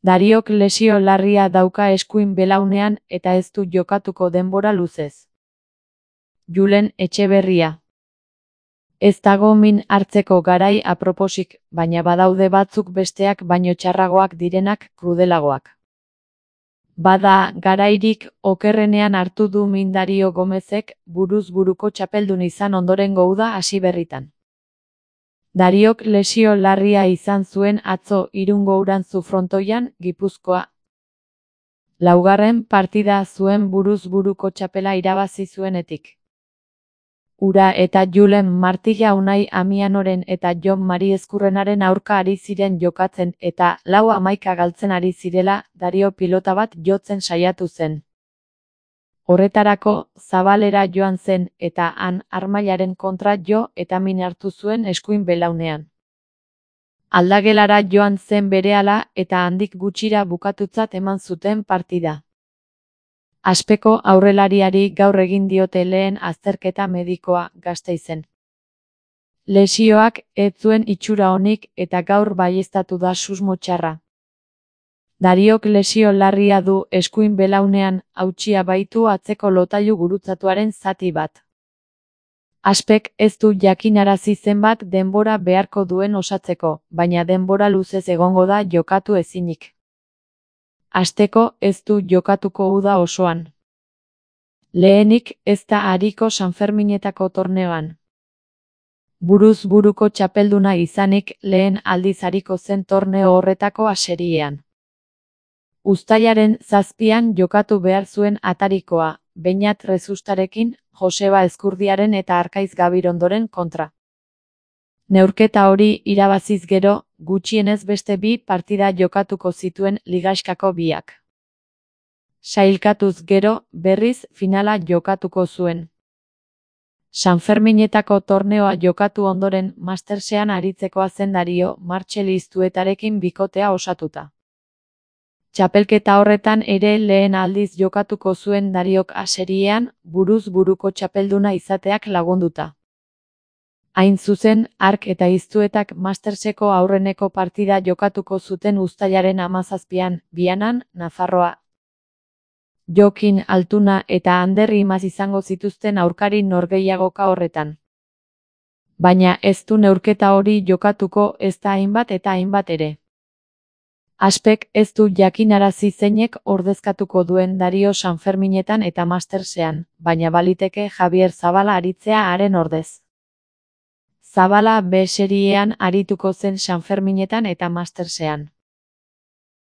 Dariok lesio larria dauka eskuin belaunean eta ez du jokatuko denbora luzez. Julen Etxeberria. Ez dago min hartzeko garai aproposik, baina badaude batzuk besteak baino txarragoak direnak krudelagoak. Bada, garairik okerrenean hartu du min Dario Gomezek buruz buruko txapeldun izan ondorengo uda hasi berritan. Dariok lesio larria izan zuen atzo Irungo Urantzu frontoian, Gipuzkoa. Laugarren partida zuen buruz buruko txapela irabazi zuenetik. Ura eta Julen Martilla Unai Amianoren eta Jon Mari Ezkurrenaren aurka ari ziren jokatzen eta 4-11 galtzen ari zirela Dario pilota bat jotzen saiatu zen. Horretarako, Zabalera joan zen eta han Armailaren kontra jo eta min hartu zuen eskuin belaunean. Aldagelara joan zen berehala eta handik gutxira bukatutzat eman zuten partida. Aspeko aurrelariari gaur egin diote lehen azterketa medikoa Gasteizen. Lesioak ez zuen itxura onik eta gaur baieztatu da susmo txarra. Dariok lesio larria du eskuin belaunean, hautsia baitu atzeko lotailu gurutzatuaren zati bat. Aspek ez du jakinarazi zenbat denbora beharko duen osatzeko, baina denbora luzez egongo da jokatu ezinik. Hasteko ez du jokatuko uda osoan. Lehenik ez da ariko Sanferminetako torneoan. Buruz buruko txapelduna izanik lehen aldiz ariko zen torneo horretako aseriean. Uztailaren 7an jokatu behar zuen atarikoa, Beñat Rezustarekin, Joseba Ezkurdiaren eta Arkaiz Gabirondoren kontra. Neurketa hori irabaziz gero, gutxienez beste 2 partida jokatuko zituen ligaxkako biak. Sailkatuz gero, berriz finala jokatuko zuen. Sanferminetako torneoa jokatu ondoren Mastersean aritzekoa zen Dario Martxelistuetarekin bikotea osatuta. Txapelketa horretan ere lehen aldiz jokatuko zuen Dariok aseriean, buruz buruko txapelduna izateak lagunduta. Hain zuzen, Ark eta Iztuetak Masterseko aurreneko partida jokatuko zuten uztailaren 17an, Vianan, Nafarroa. Jokin Altuna eta Ander Imaz izango zituzten aurkari norgehiagoka horretan. Baina ez du neurketa hori jokatuko ezta hainbat eta hainbat ere. Aspek ez du jakinarazi zeinek ordezkatuko duen Dario Sanferminetan eta Mastersean, baina baliteke Javier Zabala aritzea haren ordez. Zabala B seriean arituko zen Sanferminetan eta Mastersean.